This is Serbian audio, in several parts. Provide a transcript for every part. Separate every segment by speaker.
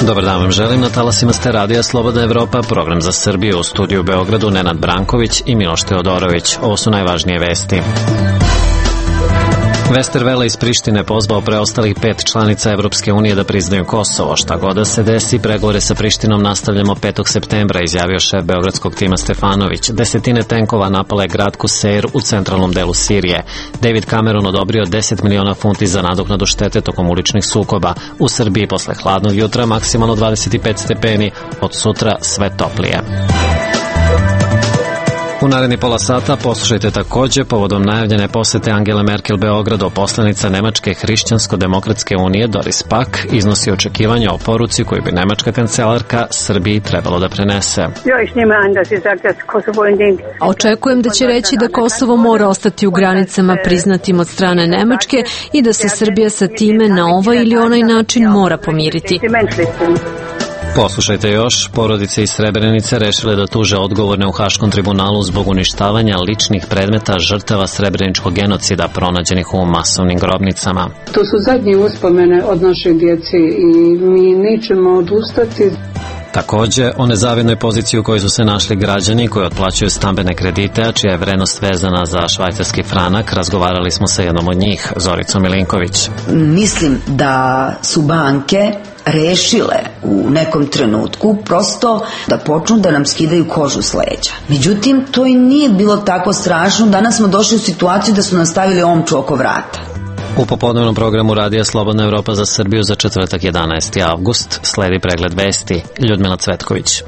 Speaker 1: Dobar dan vam želim, na talasima ste radija Slobodna Evropa, program za Srbiju, u studiju u Beogradu Nenad Branković i Miloš Teodorović. Ovo su najvažnije vesti. Westerwelle iz Prištine pozvao preostalih 5 članica Evropske unije da priznaju Kosovo. Šta god da se desi, pregovore sa Prištinom nastavljamo 5. septembra, izjavio šef beogradskog tima Stefanović. Desetine tenkova napale grad Kuseir u centralnom delu Sirije. David Cameron odobrio 10 miliona funti za nadoknadu štete tokom uličnih sukoba. U Srbiji posle hladnog jutra maksimalno 25 stepeni, od sutra sve toplije. U naredni pola sata poslušajte takođe povodom najavljene posete Angele Merkel Beogradu. Poslanica Nemačke hrišćansko-demokratske unije Doris Pack iznosi očekivanja o poruci koju bi nemačka kancelarka Srbiji trebalo da prenese.
Speaker 2: Očekujem da će reći da Kosovo mora ostati u granicama priznatim od strane Nemačke i da se Srbija sa time na ovaj ili onaj način mora pomiriti.
Speaker 1: Poslušajte još, porodice iz Srebrenice rešile da tuže odgovorne u Haškom tribunalu zbog uništavanja ličnih predmeta žrtava srebreničkog genocida pronađenih u masovnim grobnicama.
Speaker 3: To su zadnje uspomene od naše djece i mi nećemo odustati.
Speaker 1: Takođe, o nezavidnoj poziciji u kojoj su se našli građani koji otplaćuju stambene kredite, a čija je vrednost vezana za švajcarski franak, razgovarali smo sa jednom od njih, Zoricom Milinković.
Speaker 4: Mislim da su banke rešile u nekom trenutku prosto da počnu da nam skidaju kožu s leđa. Međutim, to i nije bilo tako strašno. Danas smo došli u situaciju da su nam stavili omču oko vrata.
Speaker 1: U popodnevnom programu radija Slobodna Evropa za Srbiju za četvrtak 11. avgust sledi pregled vesti. Ljudmila Cvetković.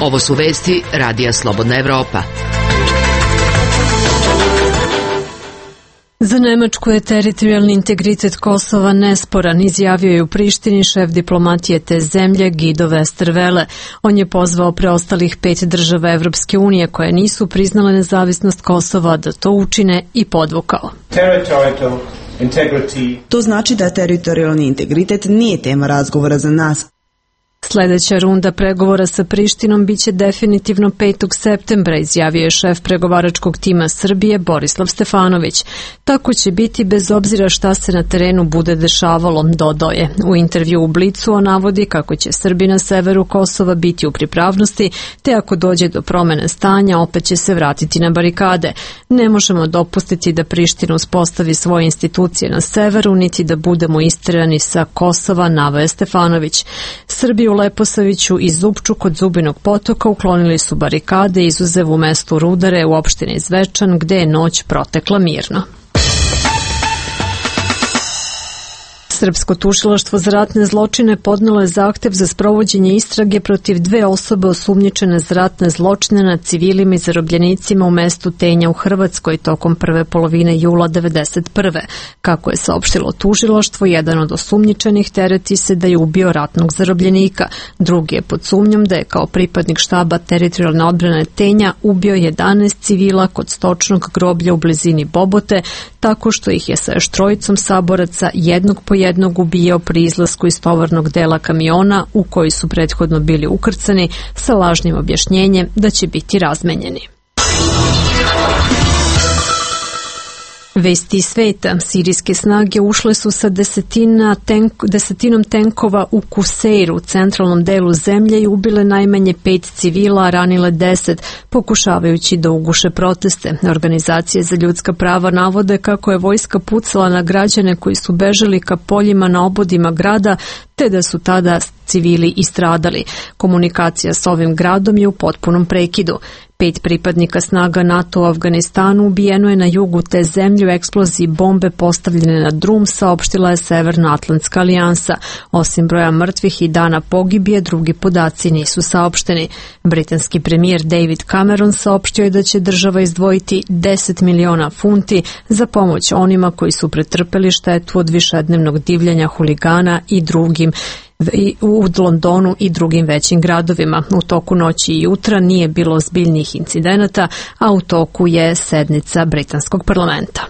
Speaker 5: Ovo su vesti radija Slobodna Evropa.
Speaker 2: Za Nemačku je teritorijalni integritet Kosova nesporan, izjavio je u Prištini šef diplomatije te zemlje Guido Westerwelle. On je pozvao preostalih 5 država Evropske unije koje nisu priznale nezavisnost Kosova da to učine i podvukao.
Speaker 6: To znači da teritorijalni integritet nije tema razgovora za nas.
Speaker 2: Sljedeća runda pregovora sa Prištinom biće definitivno 5. septembra, izjavio je šef pregovaračkog tima Srbije Borislav Stefanović. Tako će biti bez obzira šta se na terenu bude dešavalo, dodao je. U intervju u Blicu on navodi kako će Srbi na severu Kosova biti u pripravnosti, te ako dođe do promene stanja opet će se vratiti na barikade. Ne možemo dopustiti da Priština uspostavi svoje institucije na severu, niti da budemo isterani sa Kosova, naveo je Stefanović. Srbi u Leposaviću i Zupču kod Zubinog potoka uklonili su barikade, izuzev u mestu Rudare u opštini Zvečan, gde je noć protekla mirno. Srpsko tužilaštvo za ratne zločine podnelo je zahtev za sprovođenje istrage protiv 2 osobe osumnjičene za ratne zločine nad civilima i zarobljenicima u mestu Tenja u Hrvatskoj tokom prve polovine jula 1991. Kako je saopštilo tužilaštvo, jedan od osumnjičenih tereti se da je ubio ratnog zarobljenika. Drugi je pod sumnjom da je kao pripadnik štaba teritorijalne odbrane Tenja ubio 11 civila kod stočnog groblja u blizini Bobote, tako što ih je sa još 3 saboraca jednog po jednog ubijao pri izlasku iz tovarnog dela kamiona u koji su prethodno bili ukrcani sa lažnim objašnjenjem da će biti razmenjeni. Vesti iz sveta. Sirijske snage ušle su sa desetinom tenkova u Kuseiru, u centralnom delu zemlje, i ubile najmanje 5 civila, a ranile 10, pokušavajući da uguše proteste. Organizacije za ljudska prava navode kako je vojska pucala na građane koji su bežali ka poljima na obodima grada, te da su tada civili i stradali. Komunikacija s ovim gradom je u potpunom prekidu. 5 pripadnika snaga NATO u Afganistanu ubijeno je na jugu te zemlje u eksploziji bombe postavljene na drum, saopštila je Severnoatlantska alijansa. Osim broja mrtvih i dana pogibije, drugi podaci nisu saopšteni. Britanski premijer David Cameron saopštio je da će država izdvojiti 10 miliona funti za pomoć onima koji su pretrpeli štetu od višednevnog divljanja huligana i drugim u Londonu i drugim većim gradovima. U toku noći i jutra nije bilo ozbiljnih incidenata, a u toku je sednica britanskog parlamenta.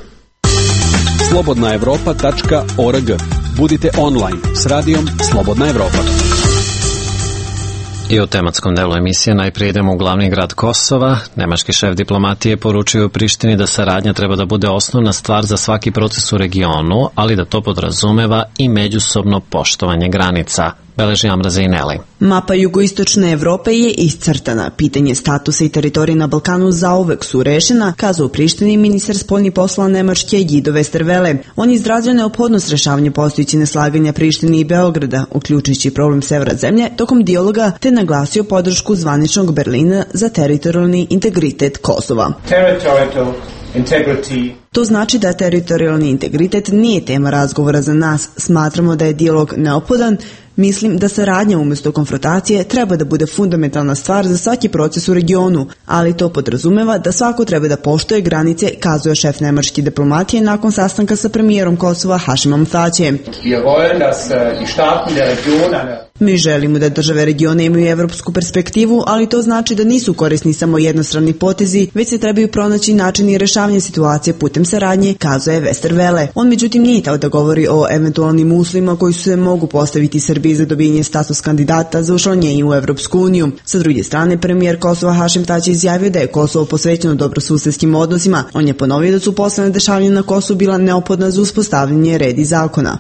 Speaker 7: slobodnaevropa.org. Budite online s radijom Slobodna Evropa.
Speaker 1: I u tematskom delu emisije najprije idemo u glavni grad Kosova. Nemački šef diplomatije poručuje u Prištini da saradnja treba da bude osnovna stvar za svaki proces u regionu, ali da to podrazumeva i međusobno poštovanje granica. Beleži Amra Zeineli.
Speaker 6: Mapa jugoistočne Evrope je iscrtana. Pitanje statusa i teritorije na Balkanu zauvek su rešena, kazao u Prištini ministar spoljnih poslova Nemačke Guido Westerwelle. On je izrazio neophodnost rešavanja postojećih neslaganja Prištine i Beograda, uključujući problem severa zemlje, tokom dijaloga, te naglasio podršku zvaničnog Berlina za teritorijalni integritet Kosova. To znači da teritorijalni integritet nije tema razgovora za nas. Smatramo da je dijalog neophodan. Mislim da saradnja umjesto konfrontacije treba da bude fundamentalna stvar za svaki proces u regionu, ali to podrazumeva da svako treba da poštuje granice, kazuje šef nemačke diplomatije nakon sastanka sa premijerom Kosova Hašimom Tačijem. Mi želimo da države regiona imaju evropsku perspektivu, ali to znači da nisu korisni samo jednostrani potezi, već se trebaju pronaći načini rešavanja situacije putem saradnje, kazuje Westerwelle. On međutim nije tao da govori o eventualnim uslovima koji se mogu postaviti Srbiji za dobijanje status kandidata za učlanjenje u Evropsku uniju. Sa druge strane, premijer Kosova Hašim Tači izjavio da je Kosovo posvećeno dobrosusedskim odnosima. On je ponovio da su poslednja dešavanja na Kosovu bila neophodna za uspostavljanje reda i zakona.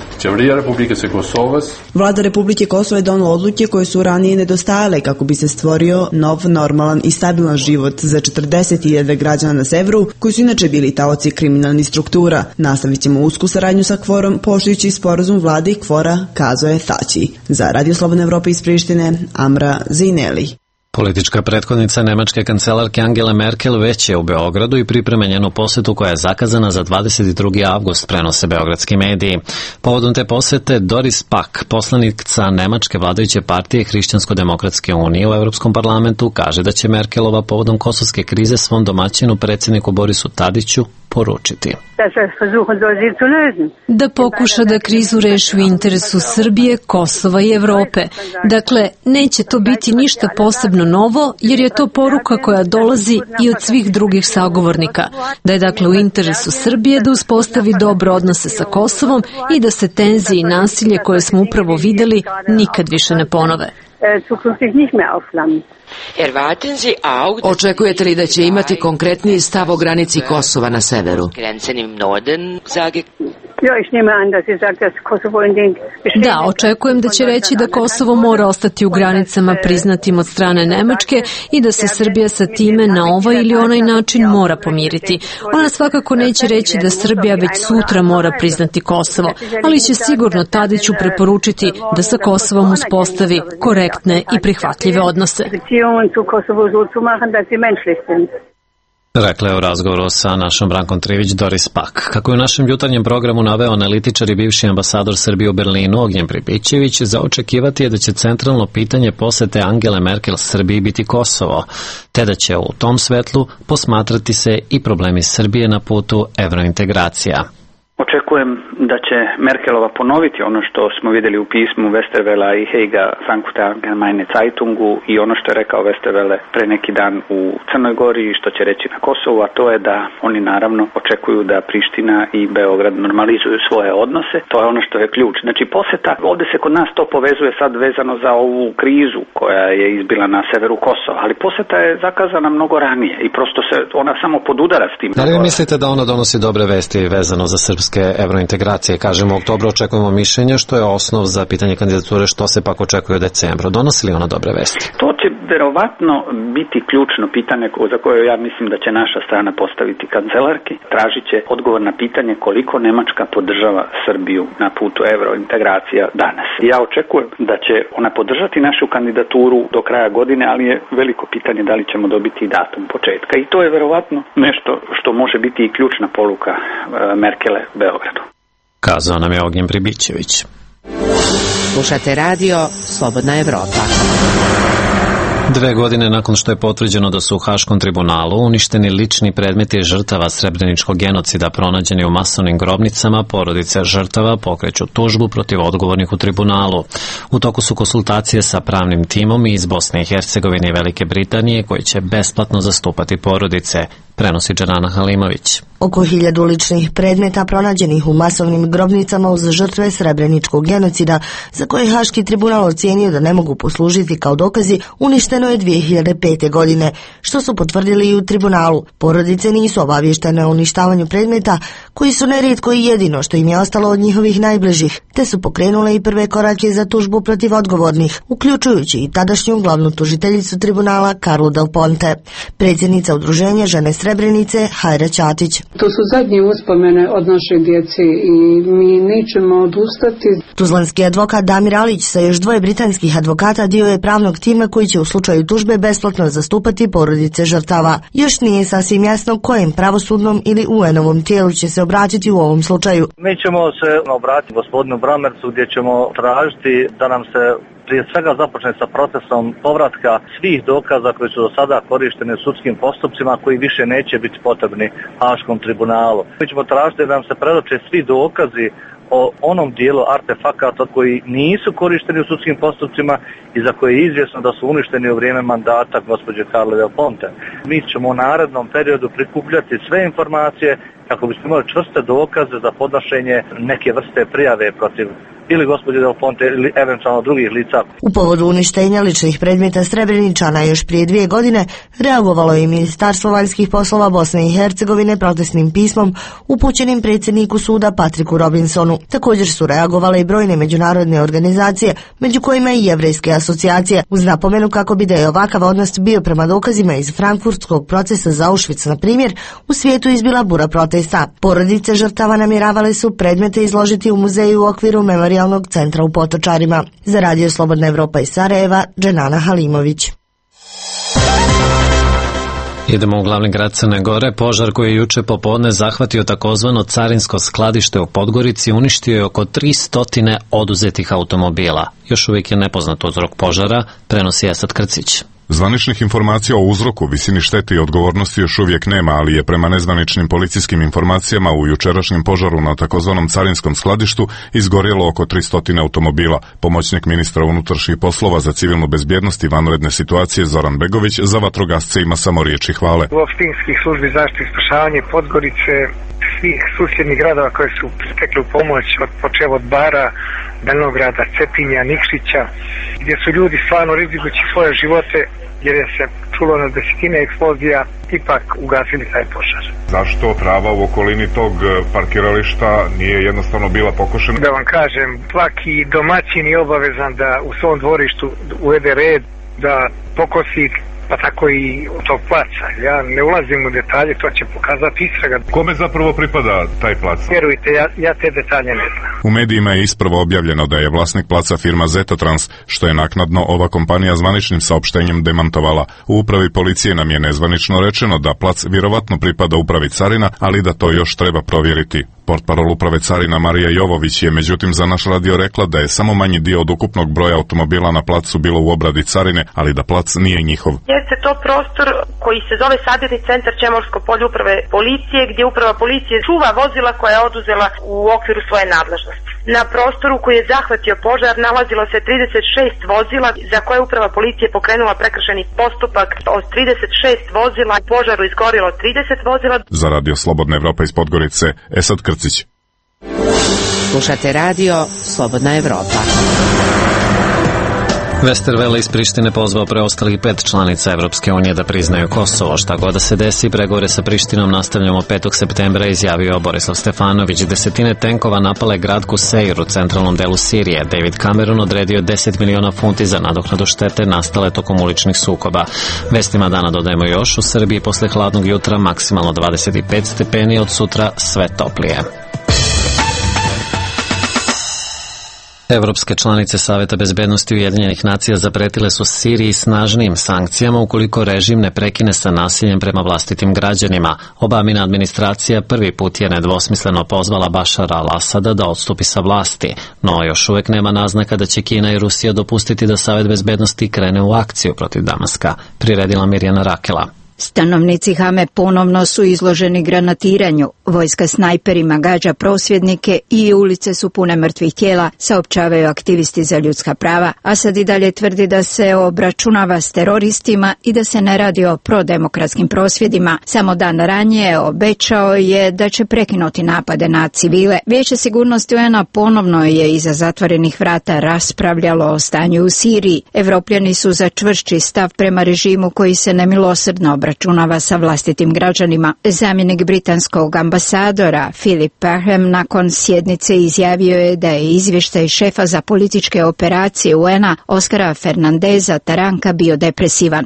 Speaker 6: Vlada Republike Kosova je donela odluke koje su ranije nedostajale kako bi se stvorio nov, normalan i stabilan život za 40.000 građana na severu, koji su inače bili taoci kriminalnih struktura. Nastavit ćemo usku saradnju sa Kvorom, poštujući sporazum vlade i Kvora, kazuje Tači. Za Radio Slobodna Evropa iz Prištine, Amra Zeineli.
Speaker 1: Politička prethodnica nemačke kancelarke Angele Merkel već je u Beogradu i priprema njenu posetu koja je zakazana za 22. avgust, prenose beogradski mediji. Povodom te posete Doris Pack, poslanica nemačke vladajuće partije Hrišćansko-demokratske unije u Evropskom parlamentu, kaže da će Merkelova povodom kosovske krize svom domaćinu predsjedniku Borisu Tadiću poručiti.
Speaker 2: Da pokuša da krizu reši u interesu Srbije, Kosova i Evrope. Dakle, neće to biti ništa posebno novo, jer je to poruka koja dolazi i od svih drugih sagovornika. Da je dakle u interesu Srbije da uspostavi dobre odnose sa Kosovom i da se tenzije i nasilje koje smo upravo videli nikad više ne ponove.
Speaker 5: Očekujete li da će imati konkretniji stav o granici Kosova na severu?
Speaker 2: Da, očekujem da će reći da Kosovo mora ostati u granicama priznatim od strane Nemačke i da se Srbija sa time na ovaj ili onaj način mora pomiriti. Ona svakako neće reći da Srbija već sutra mora priznati Kosovo, ali će sigurno Tadiću preporučiti da sa Kosovom uspostavi korektne i prihvatljive odnose.
Speaker 1: Rekla je u razgovoru sa našom Brankom Trivić Doris Pack. Kako je u našem jutarnjem programu naveo analitičar i bivši ambasador Srbije u Berlinu Ognjen Pribićević, za očekivati je da će centralno pitanje posete Angele Merkel Srbiji biti Kosovo, te da će u tom svetlu posmatrati se i problemi Srbije na putu evrointegracija.
Speaker 7: Očekujem da će Merkelova ponoviti ono što smo vidjeli u pismu Westerwella i Heiga Frankfurter Allgemeine Zeitungu i ono što je rekao Westerwelle pre neki dan u Crnoj Gori i što će reći na Kosovu, a to je da oni naravno očekuju da Priština i Beograd normalizuju svoje odnose. To je ono što je ključ. Znači poseta, ovdje se kod nas to povezuje sad vezano za ovu krizu koja je izbila na severu Kosova, ali poseta je zakazana mnogo ranije i prosto se ona samo podudara s tim.
Speaker 1: Da li vi mislite da ona donosi dobre vesti vezano za srpske evrointegracije? Kažemo, u oktobru očekujemo mišljenje, što je osnov za pitanje kandidature, što se pak očekuje u decembru. Donosi li ona dobre vesti?
Speaker 7: To će verovatno biti ključno pitanje za koje ja mislim da će naša strana postaviti kancelarki. Tražit će odgovor na pitanje koliko Nemačka podržava Srbiju na putu evrointegracija danas. Ja očekujem da će ona podržati našu kandidaturu do kraja godine, ali je veliko pitanje da li ćemo dobiti i datum početka. I to je verovatno nešto što može biti i ključna poruka Merkele Beogradu.
Speaker 1: Kazao nam je Ognjen Pribićević.
Speaker 5: Slušate radio Slobodna Evropa.
Speaker 1: 2 godine nakon što je potvrđeno da su u Haškom tribunalu uništeni lični predmeti žrtava srebreničkog genocida pronađeni u masovnim grobnicama, porodice žrtava pokreću tužbu protiv odgovornih u tribunalu. U toku su konsultacije sa pravnim timom iz Bosne i Hercegovine i Velike Britanije koji će besplatno zastupati porodice. prenosi Dženana Halimović.
Speaker 8: Oko 1000 ličnih predmeta pronađenih u masovnim grobnicama uz žrtve Srebreničkog genocida, za koje Haški tribunal ocijenio da ne mogu poslužiti kao dokazi, uništeno je 2005. godine, što su potvrdili i u tribunalu. Porodice nisu obavještene o uništavanju predmeta, koji su nerijetko i jedino što im je ostalo od njihovih najbližih, te su pokrenule i prve korake za tužbu protiv odgovornih, uključujući i tadašnju glavnu tužiteljicu tribunala Karlu Del Ponte. Predsjednica udruženja Žene Srebrenice Hajra Ćatić.
Speaker 3: To su zadnje uspomene od naše djece i mi nećemo odustati.
Speaker 8: Tuzlanski advokat Damir Alić sa još 2 britanskih advokata dio je pravnog tima koji će u slučaju tužbe besplatno zastupati porodice žrtava. Još nije sasvim jasno kojem pravosudnom ili UN-ovom tijelu će se obratiti u ovom slučaju.
Speaker 9: Mi ćemo se obratiti gospodinu Bramercu gdje ćemo tražiti da nam se prije svega započne sa procesom povratka svih dokaza koji su do sada korišteni u sudskim postupcima, koji više neće biti potrebni Haškom tribunalu. Mi ćemo tražiti da nam se predoče svi dokazi o onom dijelu artefakata koji nisu korišteni u sudskim postupcima i za koje je izvjesno da su uništeni u vrijeme mandata gospođe Karle Del Ponte. Mi ćemo u narednom periodu prikupljati sve informacije kako bismo imali čvrste dokaze za podnošenje neke vrste prijave protiv ili gospođe Del Ponte ili eventualno drugih lica.
Speaker 8: U povodu uništenja ličnih predmeta Srebreničana još prije 2 godine reagovalo je i Ministarstvo vanjskih poslova Bosne i Hercegovine protestnim pismom upućenim predsjedniku suda Patriku Robinsonu. Također su reagovale i brojne međunarodne organizacije, među kojima i jevrejske asocijacije, uz napomenu kako bi da je ovakav odnos bio prema dokazima iz frankfurtskog procesa za Auschwitz, na primjer, u svijetu izbila bura protesta. Porodice žrtava namjeravale su predmete izložiti u muzeju u okviru Memorijalnog centra u Potočarima. Za Radio Slobodna Evropa iz Sarajeva, Dženana Halimović.
Speaker 1: Idemo u glavni grad Crne Gore. Požar koji je juče popodne zahvatio takozvano carinsko skladište u Podgorici uništio je oko 300 oduzetih automobila. Još uvijek je nepoznat uzrok požara, prenosi Esad Krcić.
Speaker 10: Zvaničnih informacija o uzroku, visini štete i odgovornosti još uvijek nema, ali je prema nezvaničnim policijskim informacijama u jučerašnjem požaru na takozvanom carinskom skladištu izgorjelo oko 300 automobila. Pomoćnik ministra unutrašnjih poslova za civilnu bezbjednost i vanredne situacije Zoran Begović za vatrogasce ima samo riječi hvale.
Speaker 11: U opštinskih službi zaštite i spašavanja Podgorice, svih susjednih gradova koji su pritekli u pomoć, počev od Bara, Belograda, Cetinja, Nikšića, gdje su ljudi stvarno rizikujući svoje živote, jer je se čulo na desetine eksplozija, ipak ugasili taj požar.
Speaker 10: Zašto trava u okolini tog parkirališta nije jednostavno bila pokošena?
Speaker 11: Da vam kažem, svaki domaćin je obavezan da u svom dvorištu uvede red, da pokosi, pa tako i u tog placa. Ja ne ulazim u detalje, to će pokazati istraga.
Speaker 10: Kome zapravo pripada taj plac?
Speaker 11: Vjerujte, ja te detalje ne znam.
Speaker 10: U medijima je ispravo objavljeno da je vlasnik placa firma Zetotrans, što je naknadno ova kompanija zvaničnim saopštenjem demantovala. U upravi policije nam je nezvanično rečeno da plac vjerovatno pripada upravi carina, ali da to još treba provjeriti. Portparol uprave carina Marija Jovović je međutim za naš radio rekla da je samo manji dio od ukupnog broja automobila na placu bilo u obradi carine, ali da plac nije njihov.
Speaker 12: Jeste to prostor koji se zove Sabirni centar Čemorsko polje uprave policije, gdje uprava policije čuva vozila koja je oduzela u okviru svoje nadležnosti. Na prostoru koji je zahvatio požar nalazilo se 36 vozila za koje uprava policije pokrenula prekršajni postupak. Od 36 vozila požaru izgorilo 30 vozila.
Speaker 10: Za Radio Slobodna Evropa iz Podgorice, Esad Krcić.
Speaker 5: Slušate Radio Slobodna Evropa.
Speaker 1: Westerwelle iz Prištine pozvao preostalih 5 članica Evropske unije da priznaju Kosovo. Šta god da se desi, pregovore sa Prištinom nastavljamo 5. septembra, izjavio Borislav Stefanović. Desetine tenkova napale grad Kuseir u centralnom delu Sirije. David Cameron odredio 10 miliona funti za nadoknadu štete nastale tokom uličnih sukoba. Vestima dana dodajemo još, u Srbiji posle hladnog jutra maksimalno 25 stepeni, od sutra sve toplije. Evropske članice Saveta bezbednosti Ujedinjenih nacija zapretile su Siriji snažnijim sankcijama ukoliko režim ne prekine sa nasiljem prema vlastitim građanima. Obamina administracija prvi put je nedvosmisleno pozvala Bašara al-Asada da odstupi sa vlasti, no još uvijek nema naznaka da će Kina i Rusija dopustiti da Savet bezbednosti krene u akciju protiv Damaska, priredila Mirjana Rakela.
Speaker 13: Stanovnici Hame ponovno su izloženi granatiranju, vojska snajperima gađa prosvjednike i ulice su pune mrtvih tijela, saopćavaju aktivisti za ljudska prava. Asad i dalje tvrdi da se obračunava s teroristima i da se ne radi o prodemokratskim prosvjedima. Samo dan ranije obećao je da će prekinuti napade na civile. Vijeće sigurnosti UN-a ponovno je iza zatvorenih vrata raspravljalo o stanju u Siriji. Evropljani su za čvršći stav prema režimu koji se nemilosrdno obračunava sa vlastitim građanima. Zamjenik britanskog ambasadora Philip Parham nakon sjednice izjavio je da je izvještaj šefa za političke operacije UN-a Oskara Fernandeza Taranka bio depresivan.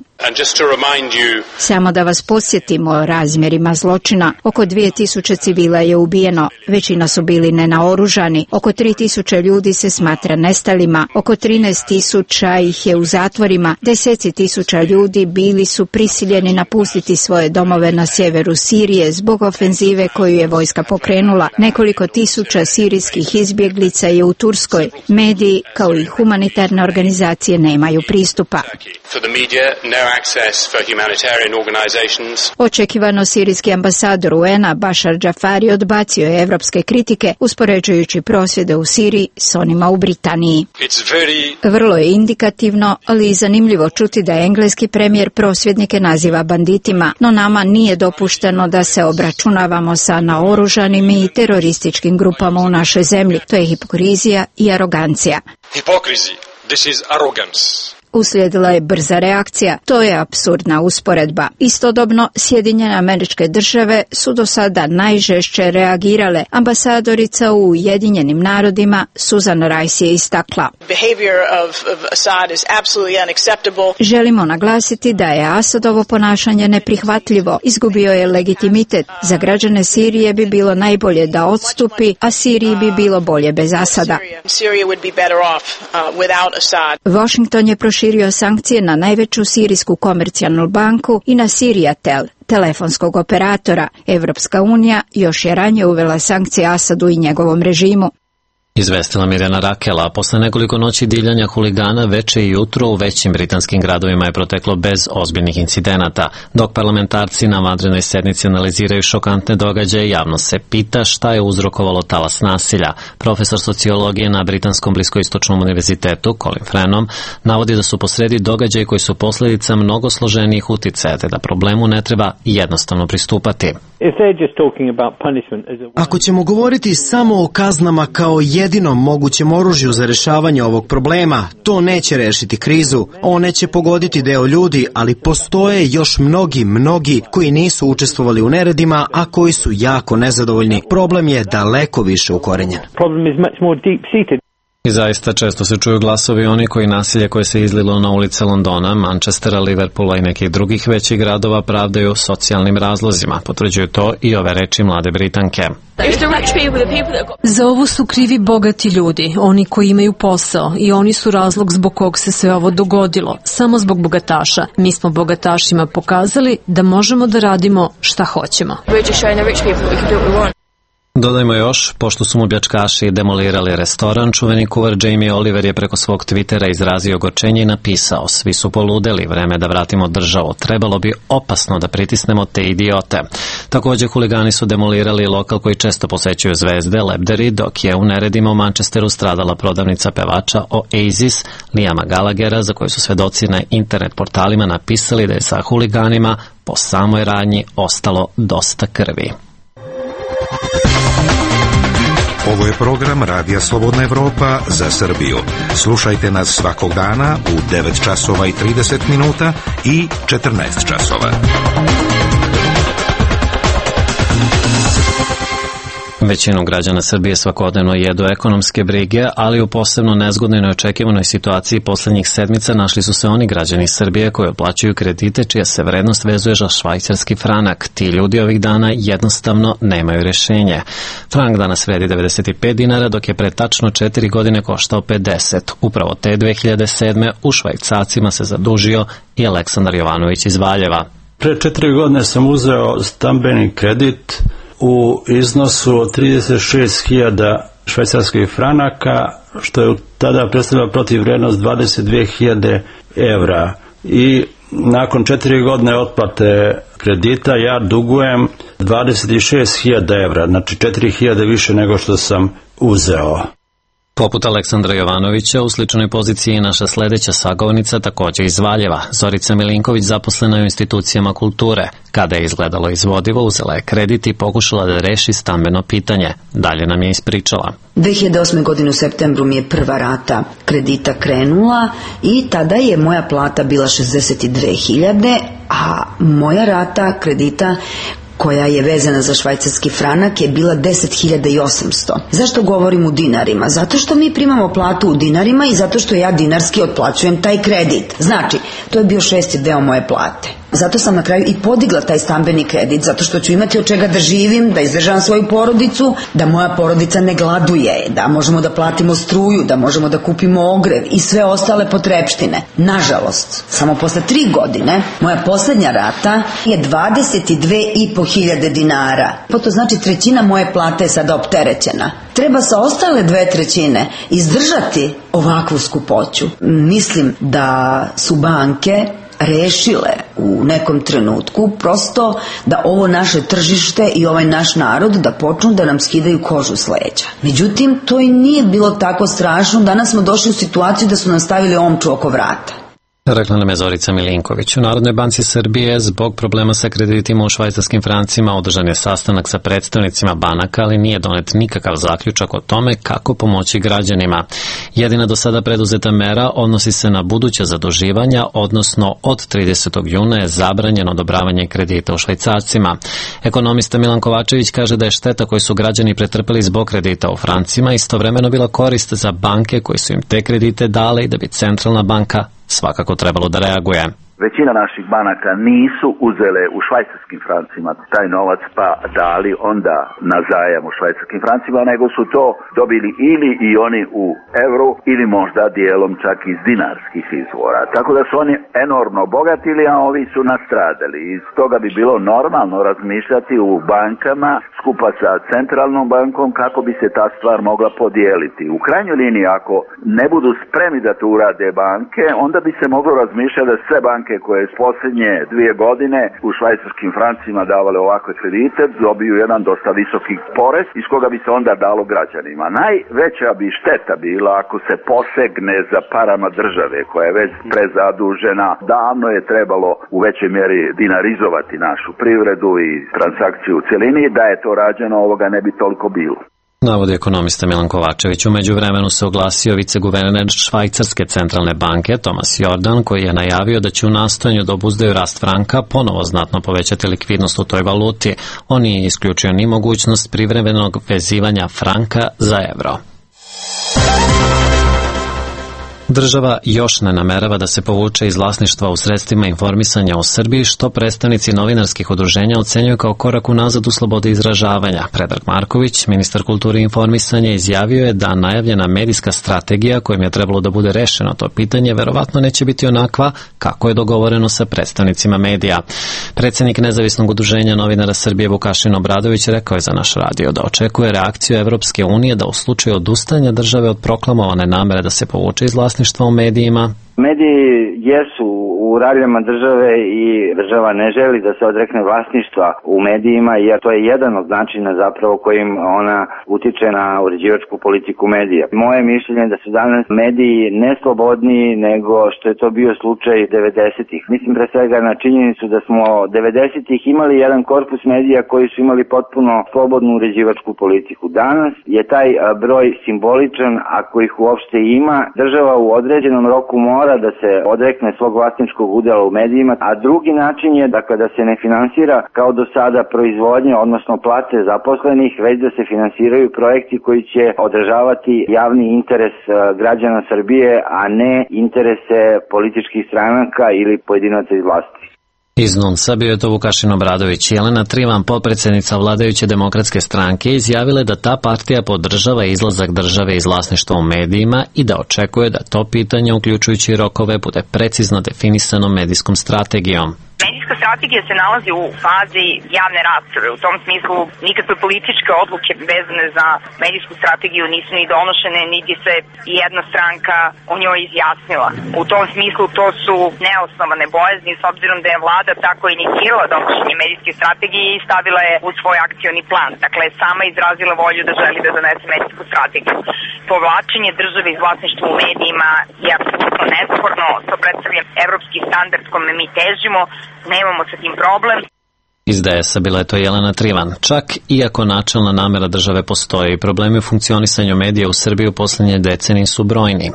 Speaker 13: Samo da vas podsjetimo o razmjerima zločina. Oko 2000 civila je ubijeno, većina su bili nenaoružani, oko 3000 ljudi se smatra nestalima, oko 13.000 ih je u zatvorima, deseci tisuća ljudi bili su prisiljeni napustiti svoje domove na sjeveru Sirije zbog ofenzive koju je vojska pokrenula. Nekoliko tisuća sirijskih izbjeglica je u Turskoj. Mediji kao i humanitarne organizacije nemaju pristupa. Očekivano sirijski ambasador UN-a Bashar Jafari odbacio je evropske kritike uspoređujući prosvjede u Siriji s onima u Britaniji. Vrlo je indikativno, ali i zanimljivo čuti da engleski premijer prosvjednike naziva banditima, no nama nije dopušteno da se obračunavamo sa naoružanim i terorističkim grupama u našoj zemlji. To je hipokrizija i arogancija.
Speaker 14: This is arrogance.
Speaker 13: Uslijedila je brza reakcija. To je apsurdna usporedba. Istodobno, Sjedinjene Američke Države su do sada najžešće reagirale. Ambasadorica u Ujedinjenim narodima Susan Rice je istakla. Želimo naglasiti da je Asadovo ponašanje neprihvatljivo. Izgubio je legitimitet. Za građane Sirije bi bilo najbolje da odstupi, a Siriji bi bilo bolje bez Asada. Washington je proširio sankcije na najveću sirijsku komercijalnu banku i na Sirijatel, telefonskog operatora. Evropska unija još je ranije uvela sankcije Asadu i njegovom režimu.
Speaker 1: Izvestila Mirjana Rakela, posle nekoliko noći divljanja huligana veče i jutro u većim britanskim gradovima je proteklo bez ozbiljnih incidenata. Dok parlamentarci na vanrednoj sednici analiziraju šokantne događaje, javnost se pita šta je uzrokovalo talas nasilja. Profesor sociologije na Britanskom bliskoistočnom univerzitetu, Colin Frenham, navodi da su posredi događaji koji su posljedica mnogo složenijih uticaja, te da problemu ne treba jednostavno pristupati.
Speaker 15: Ako ćemo govoriti samo o kaznama kao jedinom mogućem oružju za rješavanje ovog problema, to neće rešiti krizu. One će pogoditi deo ljudi, ali postoje još mnogi koji nisu učestvovali u neredima, a koji su jako nezadovoljni. Problem je daleko više ukorenjen.
Speaker 1: I zaista često se čuju glasovi oni koji nasilje koje se izlilo na ulice Londona, Manchestera, Liverpoola i nekih drugih većih gradova pravdaju socijalnim razlozima. Potvrđuju to i ove reči mlade Britanke.
Speaker 2: Za ovo su krivi bogati ljudi, oni koji imaju posao, i oni su razlog zbog kog se sve ovo dogodilo, samo zbog bogataša. Mi smo bogatašima pokazali da možemo da radimo šta hoćemo.
Speaker 1: Dodajmo još, pošto su mu pljačkaši demolirali restoran, čuveni kuvar Jamie Oliver je preko svog Twittera izrazio ogorčenje i napisao: svi su poludeli, vreme da vratimo državu, trebalo bi opasno da pritisnemo te idiote. Također huligani su demolirali lokal koji često posećuju zvezde, Lebderi, dok je u neredima u Manchesteru stradala prodavnica pevača Oasis, Liama Gallaghera, za koju su svedoci na internet portalima napisali da je sa huliganima po samoj radnji ostalo dosta krvi.
Speaker 16: Ovo je program Radija Slobodna Evropa za Srbiju. Slušajte nas svakog dana u 9 časova i 30 minuta i 14 časova.
Speaker 1: Većinu građana Srbije svakodnevno jedu ekonomske brige, ali u posebno nezgodnoj i neočekivanoj situaciji poslednjih sedmica našli su se oni građani Srbije koji otplaćuju kredite čija se vrednost vezuje za švajcarski franak. Ti ljudi ovih dana jednostavno nemaju rješenje. Frank danas vredi 95 dinara, dok je pre tačno 4 godine koštao 50. Upravo te 2007. u švajcarcima se zadužio i Aleksandar Jovanović iz Valjeva.
Speaker 17: Pre 4 godine sam uzeo stambeni kredit u iznosu od 36.000 švajcarskih franaka, što je tada predstavljalo protivvrednost 22.000 evra. I nakon 4 godine otplate kredita ja dugujem 26.000 evra, znači 4.000 više nego što sam uzeo.
Speaker 1: Poput Aleksandra Jovanovića, u sličnoj poziciji je naša sledeća sagovornica, takođe iz Valjeva. Zorica Milinković zaposlena je u institucijama kulture. Kada je izgledalo izvodivo, uzela je kredit i pokušala da reši stambeno pitanje. Dalje nam je ispričala.
Speaker 4: 2008. godine u septembru mi je prva rata kredita krenula i tada je moja plata bila 62.000, a moja rata kredita koja je vezana za švajcarski franak je bila 10.800. Zašto govorim u dinarima? Zato što mi primamo platu u dinarima i zato što ja dinarski otplaćujem taj kredit. Znači, to je bio 6. deo moje plate. Zato sam na kraju i podigla taj stambeni kredit, zato što ću imati od čega da živim, da izdržavam svoju porodicu, da moja porodica ne gladuje, da možemo da platimo struju, da možemo da kupimo ogrev i sve ostale potrepštine. Nažalost, samo posle 3 godine, moja poslednja rata je 22.500 dinara. To znači 1/3 moje plate je sada opterećena. Treba sa ostale 2/3 izdržati ovakvu skupoću. Mislim da su banke rešile u nekom trenutku prosto da ovo naše tržište i ovaj naš narod da počnu da nam skidaju kožu s leđa. Međutim, to i nije bilo tako strašno. Danas smo došli u situaciju da su nam stavili omču oko vrata.
Speaker 1: Rekla nam je Zorica Milinković. U Narodnoj banci Srbije zbog problema sa kreditima u švajcarskim francima održan je sastanak sa predstavnicima banaka, ali nije donet nikakav zaključak o tome kako pomoći građanima. Jedina do sada preduzeta mera odnosi se na buduća zaduživanja, odnosno od 30. juna je zabranjeno odobravanje kredita u švajcarcima. Ekonomista Milan Kovačević kaže da je šteta koju su građani pretrpeli zbog kredita u francima istovremeno bila korist za banke koji su im te kredite dale i da bi centralna banka svakako trebalo da reaguje.
Speaker 18: Većina naših banaka nisu uzele u švajcarskim francima taj novac pa dali onda na zajam u švajcarskim francima, nego su to dobili ili i oni u evru ili možda dijelom čak iz dinarskih izvora. Tako da su oni enormno bogatili, a ovi su nastradali. Iz toga bi bilo normalno razmišljati u bankama skupa sa centralnom bankom kako bi se ta stvar mogla podijeliti. U krajnjoj liniji, ako ne budu spremni da to urade banke, onda bi se moglo razmišljati da sve banke koje s posljednje 2 godine u švajcarskim francima davale ovakve kredite dobiju jedan dosta visoki porez iz koga bi se onda dalo građanima. Najveća bi šteta bila ako se posegne za parama države koja je već prezadužena. Davno je trebalo u većoj mjeri dinarizovati našu privredu i transakciju u cjelini. Da je to rađeno, ovoga ne bi toliko bilo.
Speaker 1: Navodi ekonomista Milan Kovačević. U međuvremenu se oglasio viceguverner Švajcarske centralne banke Tomas Jordan, koji je najavio da će u nastojanju da obuzdaju rast franka ponovo znatno povećati likvidnost u toj valuti. On nije isključio ni mogućnost privremenog vezivanja franka za evro. Država još ne namerava da se povuče iz vlasništva u sredstvima informisanja u Srbiji, što predstavnici novinarskih udruženja ocenjuju kao korak unazad u slobodi izražavanja. Predrag Marković, ministar kulture i informisanja, izjavio je da najavljena medijska strategija kojim je trebalo da bude rešeno to pitanje verovatno neće biti onakva kako je dogovoreno sa predstavnicima medija. Predsednik nezavisnog udruženja novinara Srbije Vukašin Obradović rekao je za naš radio da očekuje reakciju Evropske unije da u slučaju odustajanja države od proklamovane namere da se povuče iz vlasništva u medijima.
Speaker 19: Mediji jesu u raljama države i država ne želi da se odrekne vlasništva u medijima, jer to je jedan od načina zapravo kojim ona utiče na uređivačku politiku medija. Moje mišljenje je da su danas mediji ne slobodniji nego što je to bio slučaj 90-ih. Mislim pre svega na činjenicu da smo 90-ih imali jedan korpus medija koji su imali potpuno slobodnu uređivačku politiku. Danas je taj broj simboličan, ako ih uopšte ima. Država u određenom roku mora da se odrekne svog vlasničkog udela u medijima, a drugi način je da se ne finansira kao do sada proizvodnje, odnosno plate zaposlenih, već da se finansiraju projekti koji će održavati javni interes građana Srbije, a ne interese političkih stranaka ili pojedinaca iz vlasti.
Speaker 1: Iz NUNS-a bio je to Vukašin Obradović. Jelena Trivan, potpredsednica vladajuće demokratske stranke, izjavila da ta partija podržava izlazak države iz vlasništva u medijima i da očekuje da to pitanje, uključujući rokove, bude precizno definisano medijskom strategijom.
Speaker 20: Medijska Medijska strategija se nalazi u fazi javne rasprave. U tom smislu nikakve političke odluke vezane za medijsku strategiju nisu ni donošene, niti se jedna stranka o njoj izjasnila. U tom smislu to su neosnovane bojazni, s obzirom da je vlada tako inicirala donošenje medijske strategije i stavila je u svoj akcioni plan. Dakle, sama izrazila volju da želi da donese medijsku strategiju. Povlačenje države iz vlasništva u medijima je apsolutno nesporno, to predstavlja evropski standard kome mi težimo, nemamo sa tim problem.
Speaker 1: Iz DS-a bila je to Jelena Trivan. Čak iako načelna namera države postoji, problemi u funkcionisanju medija u Srbiji u poslednje decenije su brojni.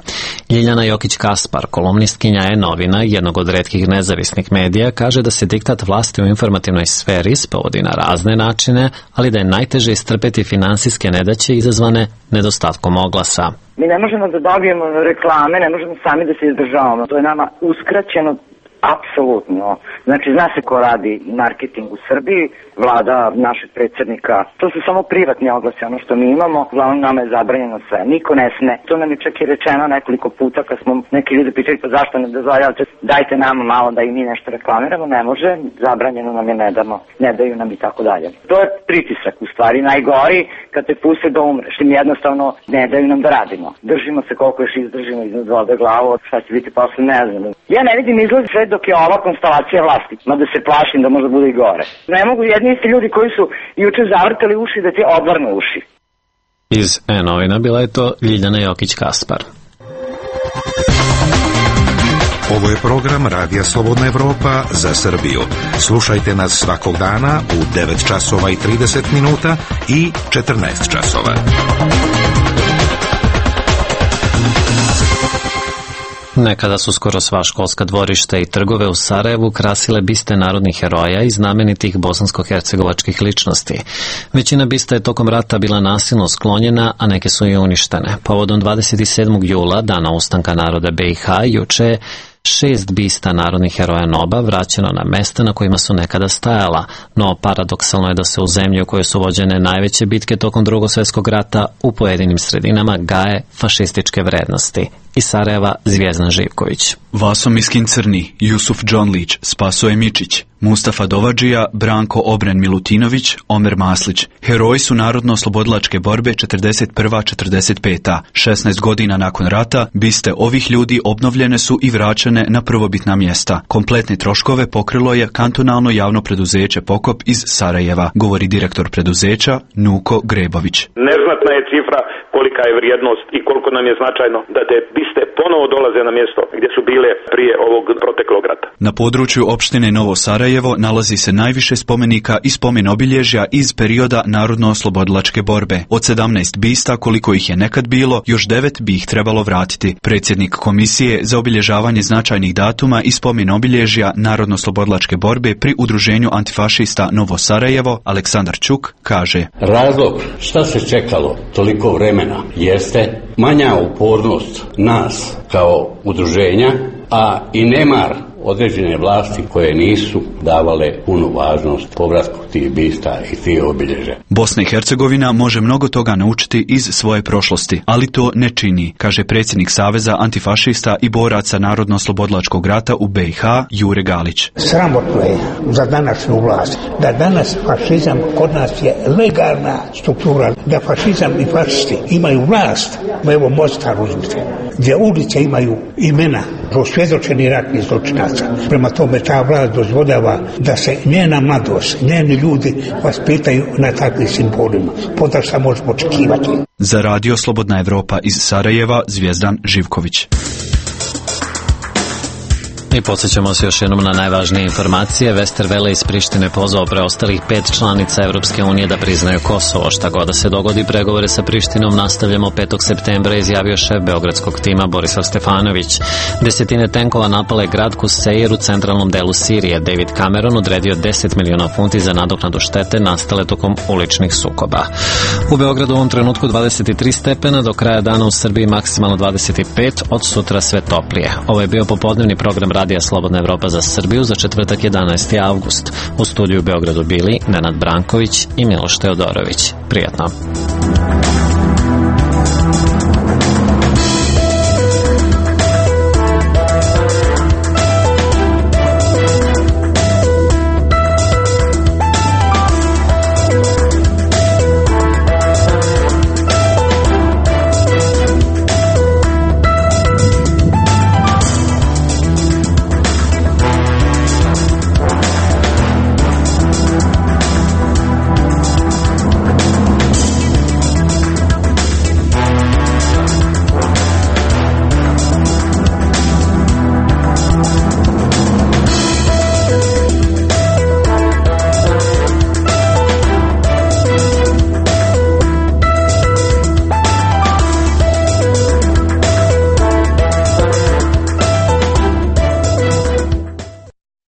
Speaker 1: Ljiljana Jokić-Kaspar, kolumnistkinja E-novina, jednog od retkih nezavisnih medija, kaže da se diktat vlasti u informativnoj sferi sprovodi na razne načine, ali da je najteže istrpeti finansijske nedaće izazvane nedostatkom oglasa.
Speaker 21: Mi ne možemo da dobijemo reklame, ne možemo sami da se izdržavamo. To je nama uskraćeno apsolutno. Znači, zna se ko radi marketing u Srbiji, vlada našeg predsjednika. To su samo privatni oglasi, ono što mi imamo. Uglavnom nama je zabranjeno sve. Niko ne sme. To nam je čak i rečeno nekoliko puta kad smo neki ljudi pitali pa zašto ne dozvoljavate, dajte nama malo da i mi nešto reklamiramo. Ne može, zabranjeno nam je, ne damo, ne daju nam i tako dalje. To je pritisak u stvari najgori kad te puste da umreš. Im jednostavno ne daju nam da radimo. Držimo se koliko još izdržimo iznad vode glavu, šta će biti posle, ne znam. Ja ne vidim izlaz sve dok je ova konstelacija vlasti, mada se plašim da možda bude i gore. Ne mogu jedni isti ljudi koji su juče zavrtali uši da ti odvrnu uši.
Speaker 1: Iz E-novina bila je to Ljiljana Jokić-Kaspar.
Speaker 16: Ovo je program Radija Slobodna Evropa za Srbiju. Slušajte nas svakog dana u 9 časova i 30 minuta i 14 časova.
Speaker 1: Nekada su skoro sva školska dvorišta i trgove u Sarajevu krasile biste narodnih heroja i znamenitih bosansko-hercegovačkih ličnosti. Većina bista je tokom rata bila nasilno sklonjena, a neke su i uništene. Povodom 27. jula, dana ustanka naroda BiH, juče 6 bista narodnih heroja NOB-a vraćeno na mesta na kojima su nekada stajala, no paradoksalno je da se u zemlji u kojoj su vođene najveće bitke tokom Drugog svjetskog rata u pojedinim sredinama gaje fašističke vrednosti. Iz Sarajeva Zvijezdan Živković.
Speaker 22: Vaso Miskin Crni, Jusuf Džonlić, Spasoje Mičić, Mustafa Dovadžija, Branko Obren Milutinović, Omer Maslić. Heroji su narodno-oslobodilačke borbe 41-45. 16 godina nakon rata, biste ovih ljudi obnovljene su i vraćene na prvobitna mjesta. Kompletne troškove pokrilo je kantonalno javno preduzeće Pokop iz Sarajeva, govori direktor preduzeća Nuko Grebović.
Speaker 23: Neznatna je cifra kolika je vrijednost i koliko nam je značajno da te biste ponovo dolaze na mjesto gdje su bile prije ovog proteklog rata.
Speaker 22: Na području opštine Novo Sarajevo nalazi se najviše spomenika i spomen obilježja iz perioda narodno-oslobodilačke borbe. Od 17 bista, koliko ih je nekad bilo, još 9 bi ih trebalo vratiti. Predsjednik Komisije za obilježavanje značajnih datuma i spomen obilježja narodno-oslobodilačke borbe pri Udruženju antifašista Novo Sarajevo, Aleksandar Čuk, kaže:
Speaker 24: Razlog šta se čekalo toliko vremena jeste manja upornost nas kao udruženja, a i nemar određene vlasti koje nisu davale punu važnost povratku tih bista i tih obilježja.
Speaker 22: Bosna i Hercegovina može mnogo toga naučiti iz svoje prošlosti, ali to ne čini, kaže predsjednik Saveza antifašista i boraca Narodno-oslobodilačkog rata u BiH Jure Galić.
Speaker 25: Sramotno je za današnju vlast da danas fašizam kod nas je legalna struktura, da fašizam i fašisti imaju vlast. Evo Mostar uzmite, gdje ulice imaju imena osvjedočeni ratni zločinaca. Prema tome ta vlast dozvoljava da se njena mladost, njeni ljudi vaspitaju na takvim simbolima. Potom šta možemo očekivati.
Speaker 22: Za Radio Slobodna Evropa iz Sarajeva, Zvijezdan Živković.
Speaker 1: I podsjećamo se još jednom na najvažnije informacije. Westerwelle iz Prištine pozvao preostalih 5 članica Evropske unije da priznaju Kosovo. Šta god da se dogodi, pregovore sa Prištinom nastavljamo 5. septembra, izjavio šef beogradskog tima Borislav Stefanović. Desetine tenkova napale grad Kuseir u centralnom delu Sirije. David Cameron odredio 10 miliona funti za nadoknadu štete nastale tokom uličnih sukoba. U Beogradu u ovom trenutku 23 stepena, do kraja dana u Srbiji maksimalno 25, od sutra sve toplije. Ovo je bio popodnevni program Radija Slobodna Evropa za Srbiju za četvrtak 11. avgust. U studiju u Beogradu bili Nenad Branković i Miloš Teodorović. Prijatno.